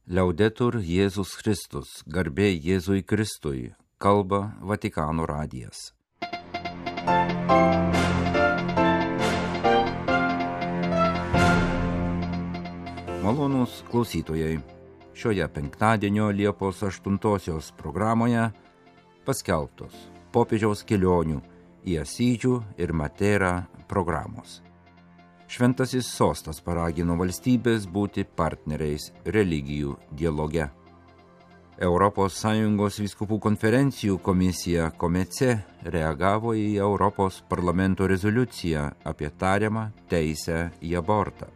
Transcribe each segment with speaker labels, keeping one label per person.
Speaker 1: Liaudetur Jėzus Kristus, garbė Jėzui Kristui, kalba Vatikano radijas. Malonūs klausytojai, šioje penktadienio Liepos 8 programoje paskelbtos popiežiaus kelionių į Asyžių ir Materą programos. Šventasis sostas paragino valstybės būti partneriais religijų dialoge. ES vyskupų konferencijų komisija Komece reagavo į Europos parlamento rezoliuciją apie tariamą teisę į abortą.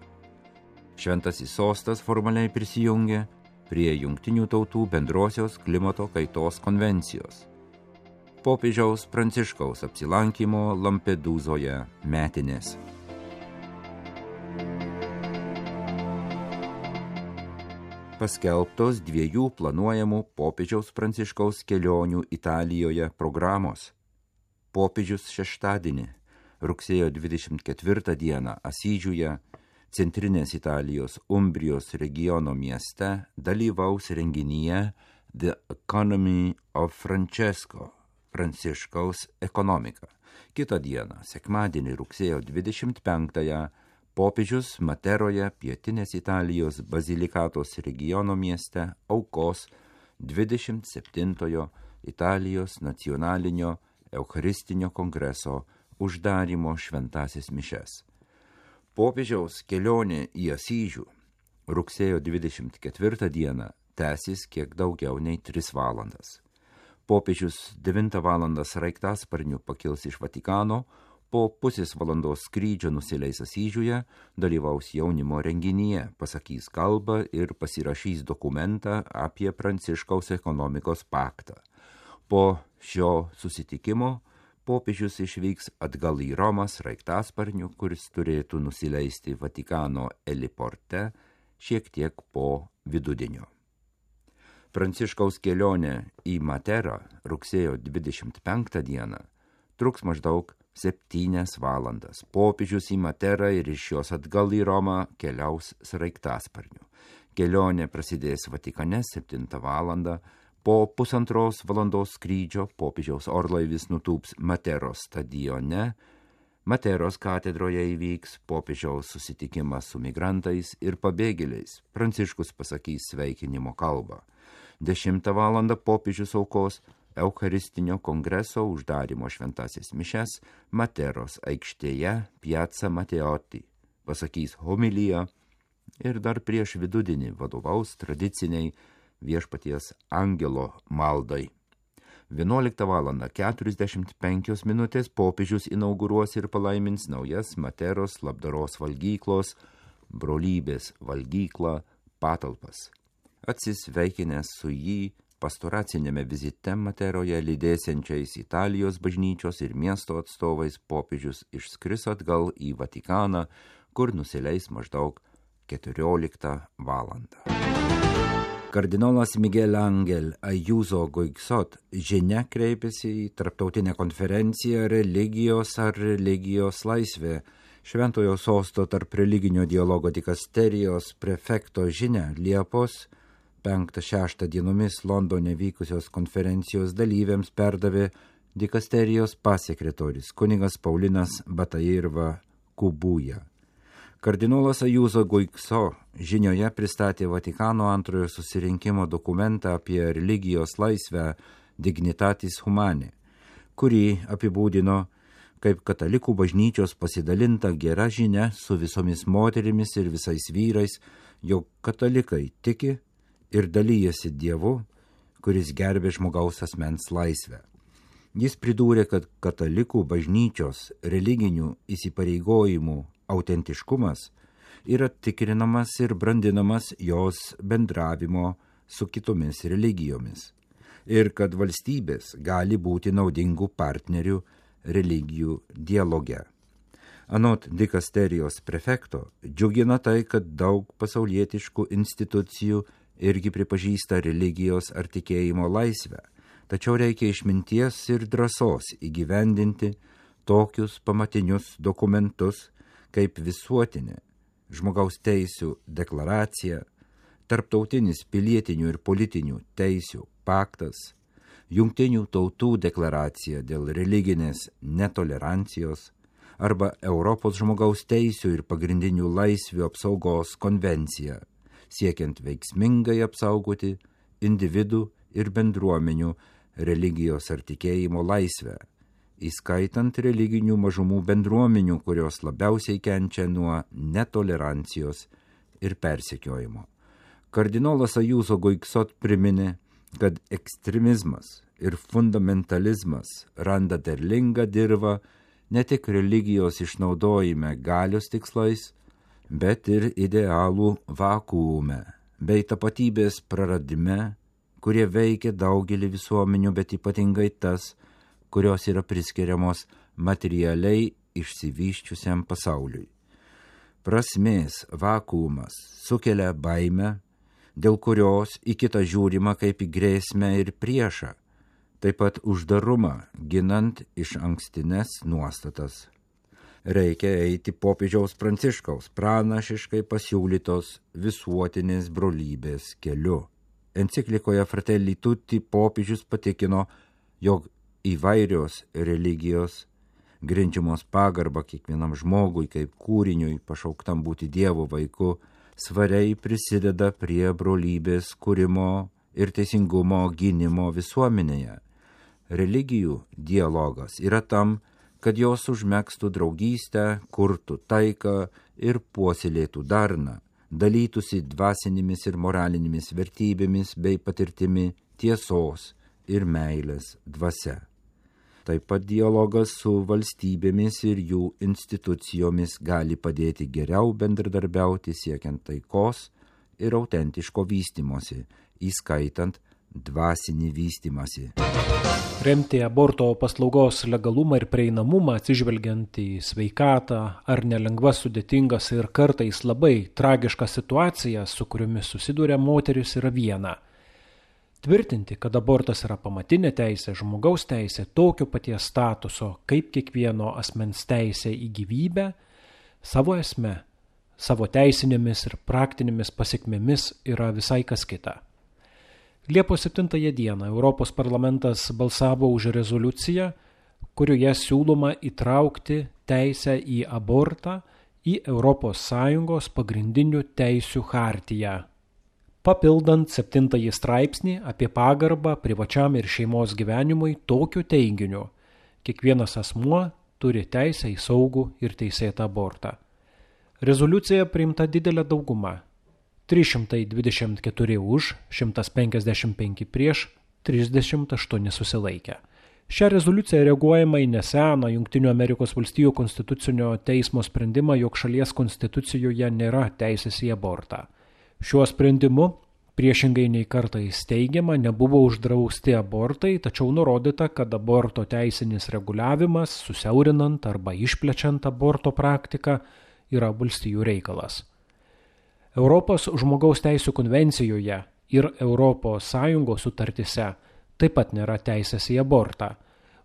Speaker 1: Šventasis sostas formaliai prisijungė prie Jungtinių tautų bendrosios klimato kaitos konvencijos. Popiežiaus Pranciškaus apsilankymo Lampedūzoje metinės. Paskelbtos 2 planuojamų popiežiaus Pranciškaus kelionių Italijoje programos. Popiežius šeštadienį, rugsėjo 24 dieną Asyžiuje, centrinės Italijos Umbrijos regiono mieste, dalyvaus renginyje The Economy of Francesco, Pranciškaus ekonomika. Kitą dieną, sekmadienį, rugsėjo 25-ąją, popiežius Materoje, pietinės Italijos Bazilikatos regiono mieste, aukos 27-ojo Italijos nacionalinio Eucharistinio kongreso uždarymo šventasis mišes. Popiežiaus kelionė į Asyžių rugsėjo 24 dieną tęsis kiek daugiau nei 3 valandas. Popiežius 9 valandą sraigtasparniu pakils iš Vatikano, po pusės valandos skrydžio nusileis Asyžiuje, dalyvaus jaunimo renginyje, pasakys kalbą ir pasirašys dokumentą apie Pranciškaus ekonomikos paktą. Po šio susitikimo popiežius išvyks atgal į Romą sraigtasparniu, kuris turėtų nusileisti Vatikano heliporte šiek tiek po vidudienio. Pranciškaus kelionė į Materą rugsėjo 25 dieną truks maždaug 7 valandas. Popiežius į Materą ir iš jos atgal į Romą keliaus sraigtasparniu. Kelionė prasidės Vatikane 7 valandą. Po 1,5 valandos skrydžio popiežiaus orlaivis nutūps Materos stadione. Materos katedroje įvyks popiežiaus susitikimas su migrantais ir pabėgėliais. Pranciškus pasakys sveikinimo kalbą. 10 valandą popiežius aukos Eucharistinio kongreso uždarymo šventasis mišes Materos aikštėje Piazza Matteotti. Pasakys homiliją ir dar prieš vidudienį vadovaus tradiciniai Viešpaties angelo maldai. 11 valandą 45 minutės popiežius inauguruos ir palaimins naujas Materos labdaros valgyklos, brolybės valgyklą patalpas. Atsisveikinęs su jį pastoracinėme vizite Materoje lydėsiančiais Italijos bažnyčios ir miesto atstovais popiežius išskris atgal į Vatikaną, kur nusileis maždaug 14 valandą. Kardinolas Miguel Ángel Ayuso Guixot žinia kreipėsi į tarptautinę konferenciją Religijos ar religijos laisvė. Šventojo sosto tarp religinio dialogo dikasterijos prefekto žinia Liepos 5-6 dienomis Londone vykusios konferencijos dalyviams perdavė dikasterijos pasekretorius kunigas Paulinas Batairva Kubuja. Kardinolas Ayuso Guixot žinioje pristatė Vatikano antrojo susirinkimo dokumentą apie religijos laisvę Dignitatis Humanae, kurį apibūdino kaip katalikų bažnyčios pasidalinta gera žinia su visomis moterimis ir visais vyrais, jog katalikai tiki ir dalyjasi Dievu, kuris gerbė žmogaus asmens laisvę. Jis pridūrė, kad katalikų bažnyčios religinių įsipareigojimų autentiškumas yra tikrinamas ir brandinamas jos bendravimo su kitomis religijomis ir kad valstybės gali būti naudingų partnerių religijų dialoge. Anot dikasterijos prefekto, džiugina tai, kad daug pasaulietiškų institucijų irgi pripažįsta religijos ar tikėjimo laisvę, tačiau reikia išminties ir drąsos įgyvendinti tokius pamatinius dokumentus kaip visuotinė žmogaus teisių deklaracija, Tarptautinis pilietinių ir politinių teisių paktas, Jungtinių tautų deklaracija dėl religinės netolerancijos arba Europos žmogaus teisių ir pagrindinių laisvių apsaugos konvencija, siekiant veiksmingai apsaugoti individų ir bendruomenių religijos ar tikėjimo laisvę, įskaitant religinių mažumų bendruomenių, kurios labiausiai kenčia nuo netolerancijos ir persekiojimo. Kardinolas Ajuso Guiksot priminė, kad ekstremizmas ir fundamentalizmas randa derlingą dirvą ne tik religijos išnaudojime galios tikslais, bet ir idealų vakuume bei tapatybės praradime, kurie veikia daugelį visuomenių, bet ypatingai tas, kurios yra priskiriamos materialiai išsivysčiusiam pasauliui. Prasmės vakuumas sukelia baimę, dėl kurios į kitą žiūrima kaip į grėsmę ir priešą, taip pat uždarumą ginant iš ankstines nuostatas. Reikia eiti popiežiaus Pranciškaus pranašiškai pasiūlytos visuotinės brolybės keliu. Enciklikoje Fratelli Tutti popiežius patikino, jog įvairios religijos, grindžiamos pagarbą kiekvienam žmogui kaip kūriniui pašauktam būti Dievo vaiku, svariai prisideda prie brolybės kūrimo ir teisingumo gynimo visuomenėje. Religijų dialogas yra tam, kad jos užmegztų draugystę, kurtų taiką ir puoselėtų darną, dalytųsi dvasinėmis ir moralinėmis vertybėmis bei patirtimi tiesos ir meilės dvasia. Taip pat dialogas su valstybėmis ir jų institucijomis gali padėti geriau bendradarbiauti siekiant taikos ir autentiško vystymosi, įskaitant dvasinį vystymąsi.
Speaker 2: Remti aborto paslaugos legalumą ir prieinamumą atsižvelgiant į sveikatą ar nelengvas, sudėtingas ir kartais labai tragiškas situacijas, su kuriomis susiduria moteris, yra viena. Tvirtinti, kad abortas yra pamatinė teisė, žmogaus teisė, tokio paties statuso kaip kiekvieno asmens teisė į gyvybę, savo esme, savo teisinėmis ir praktinėmis pasekmėmis yra visai kas kita. Liepos 7 dieną Europos parlamentas balsavo už rezoliuciją, kurioje siūloma įtraukti teisę į abortą į ES pagrindinių teisių chartiją, papildant 7 straipsnį apie pagarbą privačiam ir šeimos gyvenimui tokiu teiginiu: kiekvienas asmuo turi teisę į saugų ir teisėtą abortą. Rezoliucija priimta didelė dauguma – 324 už, 155 prieš, 38 susilaikę. Šią rezoliuciją reaguojama į neseną Jungtinių Amerikos valstijų konstitucinio teismo sprendimą, jog šalies konstitucijoje nėra teisės į abortą. Šiuo sprendimu, priešingai nei kartais teigiama, nebuvo uždrausti abortai, tačiau nurodyta, kad aborto teisinis reguliavimas, susiaurinant arba išplečiant aborto praktiką, yra valstijų reikalas. Europos žmogaus teisių konvencijoje ir ES sutartise taip pat nėra teisės į abortą.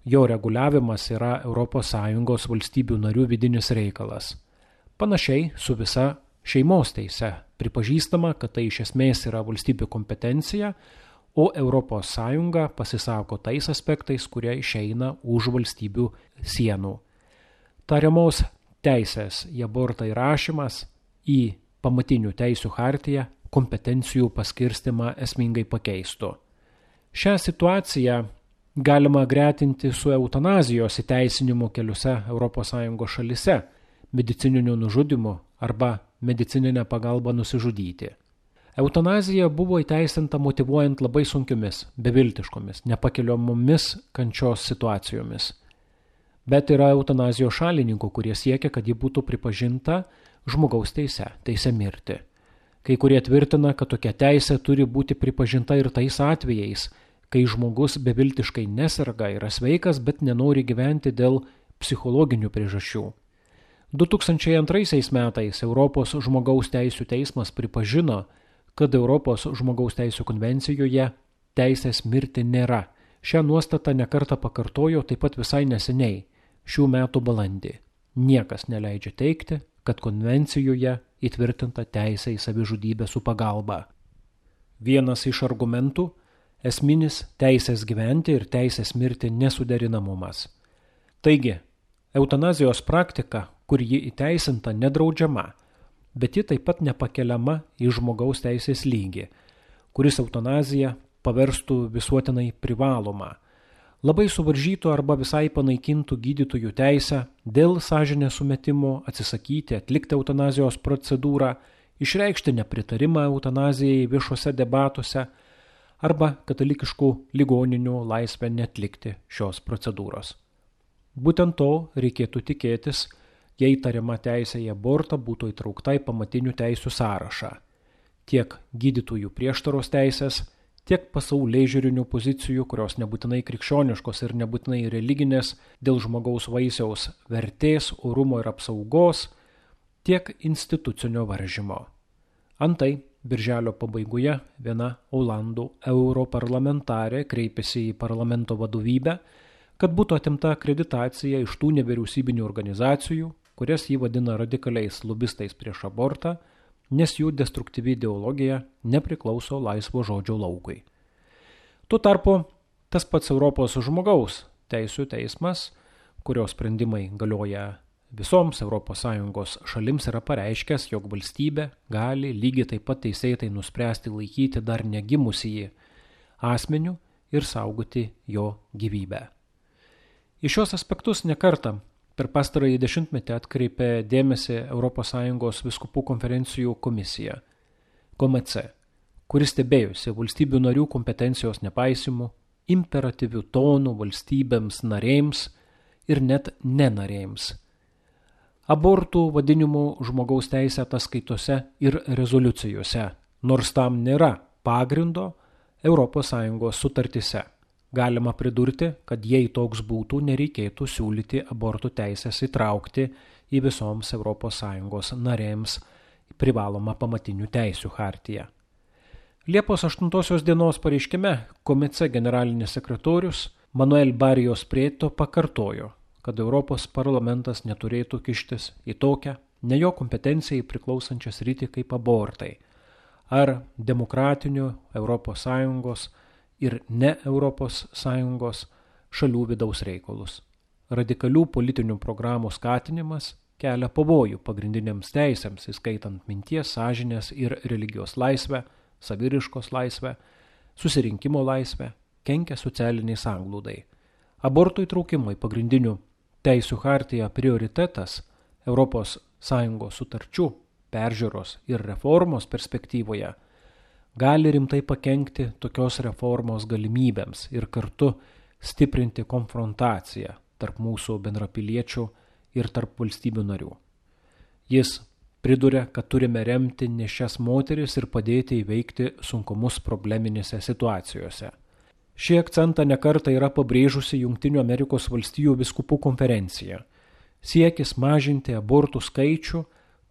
Speaker 2: Jo reguliavimas yra ES valstybių narių vidinis reikalas. Panašiai su visa šeimos teise pripažįstama, kad tai iš esmės yra valstybių kompetencija, o ES pasisako tais aspektais, kurie išeina už valstybių sienų. Tariamos teisės į abortą įrašymas į pamatinių teisių chartiją kompetencijų paskirstimą esmingai pakeistų. Šią situaciją galima gretinti su eutanazijos įteisinimu keliose ES šalise, medicininiu nužudymu arba medicininę pagalbą nusižudyti. Eutanazija buvo įteisinta motyvuojant labai sunkiomis, beviltiškomis, nepakeliamomis kančios situacijomis. Bet yra eutanazijos šalininkų, kurie siekia, kad ji būtų pripažinta žmogaus teise mirti. Kai kurie tvirtina, kad tokia teisė turi būti pripažinta ir tais atvejais, kai žmogus beviltiškai neserga, yra sveikas, bet nenori gyventi dėl psichologinių priežasčių. 2002 metais Europos žmogaus teisių teismas pripažino, kad Europos žmogaus teisių konvencijoje teisės mirti nėra. Šią nuostatą nekartą pakartojo taip pat visai neseniai, šių metų balandį. Niekas neleidžia teigti, kad konvencijoje įtvirtinta teisė į savižudybę su pagalba. Vienas iš argumentų – esminis teisės gyventi ir teisės mirti nesuderinamumas. Taigi, eutanazijos praktika, kur ji įteisinta, nedraudžiama, bet ji taip pat nepakeliama į žmogaus teisės lygį, kuris eutanaziją paverstų visuotinai privalomą. Labai suvaržytų arba visai panaikintų gydytojų teisę dėl sąžinės sumetimo atsisakyti atlikti eutanazijos procedūrą, išreikšti nepritarimą eutanazijai viešuose debatuose arba katalikiškų ligoninių laisvę neatlikti šios procedūros. Būtent to reikėtų tikėtis, jei tariama teisė į abortą būtų įtraukta į pamatinių teisių sąrašą. Tiek gydytojų prieštaros teisės, tiek pasaulėžiūrinių pozicijų, kurios nebūtinai krikščioniškos ir nebūtinai religinės, dėl žmogaus vaisiaus vertės, orumo ir apsaugos, tiek institucinio varžymo. Antai, birželio pabaigoje viena Olandų europarlamentarė kreipėsi į parlamento vadovybę, kad būtų atimta akreditacija iš tų nevyriausybinių organizacijų, kurias jį vadina radikaliais lobistais prieš abortą, nes jų destruktyvi ideologija nepriklauso laisvo žodžio laukui. Tuo tarpu tas pats Europos žmogaus teisių teismas, kurio sprendimai galioja visoms ES šalims, yra pareiškęs, jog valstybė gali lygiai taip pat teisėtai nuspręsti laikyti dar negimusįjį asmeniu ir saugoti jo gyvybę. Į šios aspektus nekartą per pastarąjį dešimtmetį atkreipė dėmesį ES vyskupų konferencijų komisija, KOMC, kuris stebėjusi valstybių narių kompetencijos nepaisimu, imperatyvių tonų valstybėms narėms ir net nenarėms. Abortų vadinimų žmogaus teisė ataskaitose ir rezoliucijose, nors tam nėra pagrindo ES sutartyse. Galima pridurti, kad jei toks būtų, nereikėtų siūlyti abortų teisės įtraukti į visoms ES narėms privalomą pamatinių teisių chartiją. Liepos 8 dienos pareiškime KOMC generalinis sekretorius Manuel Barrios Prieto pakartojo, kad Europos parlamentas neturėtų kištis į tokią, ne jo kompetencijai priklausančią sritį kaip abortai, ar demokratinių ES ir ne ES šalių vidaus reikalus. Radikalių politinių programų skatinimas kelia pavojų pagrindiniams teisėms, įskaitant minties, sąžinės ir religijos laisvę, saviriškos laisvę, susirinkimo laisvę, kenkia socialiniai sanglūdai. Abortų įtraukimo į pagrindinių teisių chartiją prioritetas ES sutarčių, peržiūros ir reformos perspektyvoje gali rimtai pakenkti tokios reformos galimybėms ir kartu stiprinti konfrontaciją tarp mūsų bendrapiliečių ir tarp valstybių narių. Jis priduria, kad turime remti nėščias moteris ir padėti įveikti sunkumus probleminėse situacijose. Šį akcentą nekartą yra pabrėžusi Jungtinių Amerikos valstijų vyskupų konferencija. Siekis mažinti abortų skaičių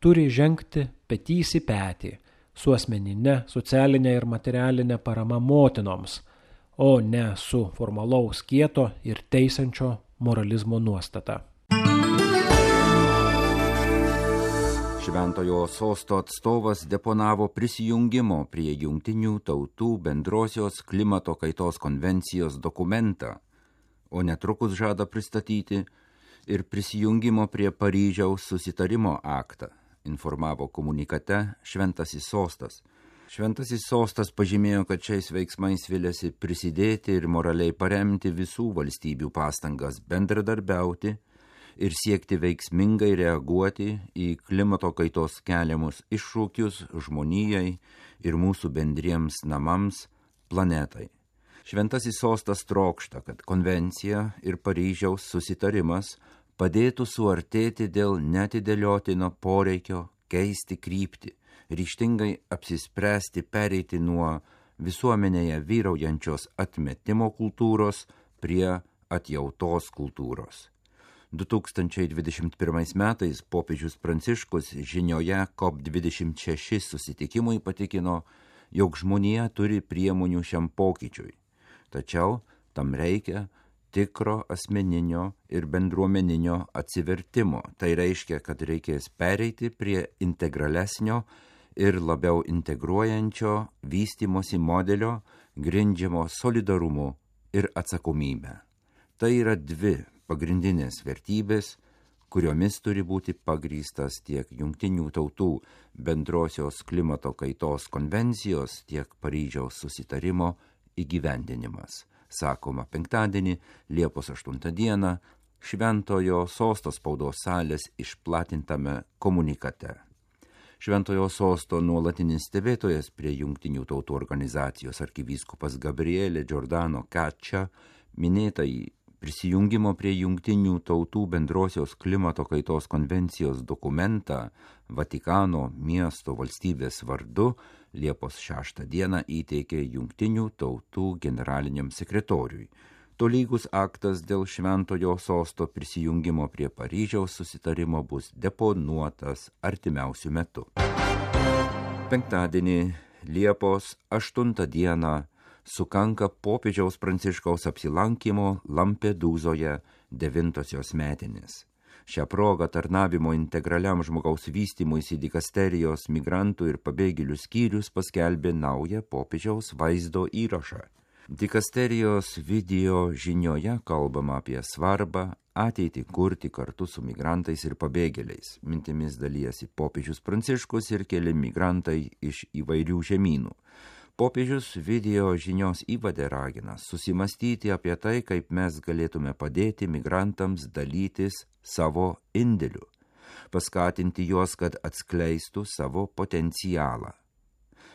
Speaker 2: turi žengti petys į petį su asmeninė, socialinė ir materialinė parama motinoms, o ne su formalaus kieto ir teisiančio moralizmo nuostata.
Speaker 1: Šventojo sosto atstovas deponavo prisijungimo prie Jungtinių tautų bendrosios klimato kaitos konvencijos dokumentą, o netrukus žada pristatyti ir prisijungimo prie Paryžiaus susitarimo aktą, informavo komunikate Šventasis sostas. Šventasis sostas pažymėjo, kad šiais veiksmais viliasi prisidėti ir moraliai paremti visų valstybių pastangas bendradarbiauti ir siekti veiksmingai reaguoti į klimato kaitos keliamus iššūkius žmonijai ir mūsų bendriems namams, planetai. Šventasis sostas trokšta, kad konvencija ir Paryžiaus susitarimas padėtų suartėti dėl neatidėliotino poreikio keisti kryptį, ryžtingai apsispręsti pereiti nuo visuomenėje vyraujančios atmetimo kultūros prie atjautos kultūros. 2021 metais popiežius Pranciškus žinioje COP26 susitikimui patikino, jog žmonija turi priemonių šiam pokyčiui, tačiau tam reikia tikro asmeninio ir bendruomeninio atsivertimo. Tai reiškia, kad reikės pereiti prie integralesnio ir labiau integruojančio vystimosi modelio grindžiamo solidarumu ir atsakomybę. Tai yra dvi pagrindinės vertybės, kuriomis turi būti pagrįstas tiek Jungtinių tautų bendrosios klimato kaitos konvencijos, tiek Paryžiaus susitarimo įgyvendinimas, sakoma penktadienį, Liepos 8 dieną, Šventojo Sosto spaudos salės išplatintame komunikate. Šventojo Sosto nuolatinis stebėtojas prie Jungtinių tautų organizacijos arkivyskupas Gabriele Giordano Caccia minėtąjį prisijungimo prie Jungtinių tautų bendrosios klimato kaitos konvencijos dokumentą Vatikano miesto valstybės vardu Liepos 6 dieną įteikė Jungtinių tautų generaliniam sekretoriui. Tolygus aktas dėl Šventojo Sosto prisijungimo prie Paryžiaus susitarimo bus deponuotas artimiausių metų. Penktadienį Liepos 8 dieną sukanka popiežiaus Pranciškaus apsilankymo Lampedūzoje 9-osios metinės. Šią progą tarnavimo integraliam žmogaus vystymuisi dikasterijos migrantų ir pabėgėlių skyrius paskelbė naują popiežiaus vaizdo įrašą. Dikasterijos video žinioje kalbama apie svarbą ateitį kurti kartu su migrantais ir pabėgėliais. Mintimis dalyjasi popiežius Pranciškus ir keli migrantai iš įvairių žemynų. Popiežius video žinios įvade ragina susimastyti apie tai, kaip mes galėtume padėti migrantams dalytis savo indėliu, paskatinti juos, kad atskleistų savo potencialą.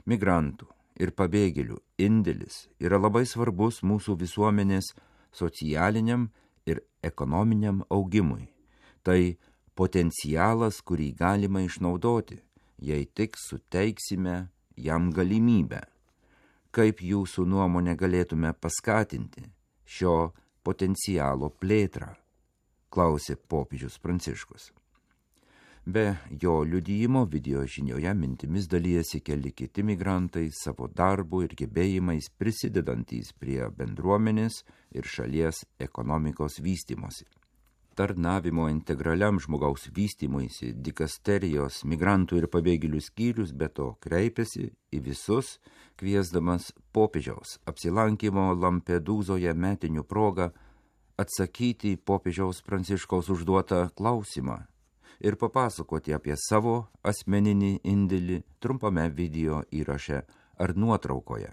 Speaker 1: Migrantų ir pabėgėlių indėlis yra labai svarbus mūsų visuomenės socialiniam ir ekonominiam augimui. Tai potencialas, kurį galima išnaudoti, jei tik suteiksime jam galimybę. Kaip jūsų nuomonė galėtume paskatinti šio potencialo plėtrą, klausė popiežius Pranciškus. Be jo liudijimo video žinioje mintimis dalyjasi keli kiti migrantai savo darbu ir gebėjimais prisidedantys prie bendruomenės ir šalies ekonomikos vystymosi. Tarnavimo integraliam žmogaus vystymuisi dikasterijos migrantų ir pabėgėlių skyrius be to kreipėsi į visus, kviesdamas popiežiaus apsilankymo Lampedūzoje metinių progą atsakyti į popiežiaus Pranciškaus užduotą klausimą ir papasakoti apie savo asmeninį indėlį trumpame video įraše ar nuotraukoje.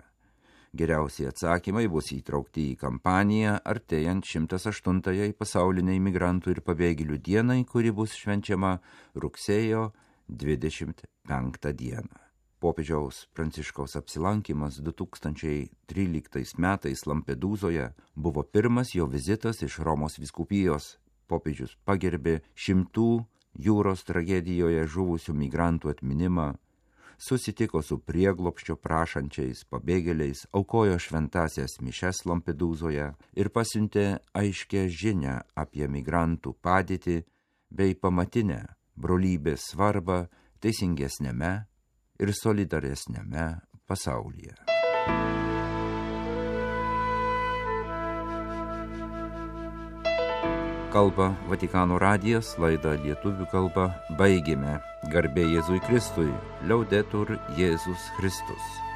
Speaker 1: Geriausiai atsakymai bus įtraukti į kampaniją artėjant 108 pasauliniai migrantų ir pabėgėlių dienai, kuri bus švenčiama rugsėjo 25 dieną. Popiežiaus Pranciškaus apsilankymas 2013 metais Lampedūzoje buvo pirmas jo vizitas iš Romos vyskupijos. Popiežius pagerbė 100 jūros tragedijoje žuvusių migrantų atminimą, susitiko su prieglobsčio prašančiais pabėgėliais, aukojo šventąsias mišias Lampedūzoje ir pasiuntė aiškę žinią apie migrantų padėtį bei pamatinę brolybės svarbą teisingesnėme ir solidaresnėme pasaulyje. Kalba Vatikano radijas, laidą lietuvių kalba baigėme. Garbė Jėzui Kristui, Liaudetur Jėzus Kristus.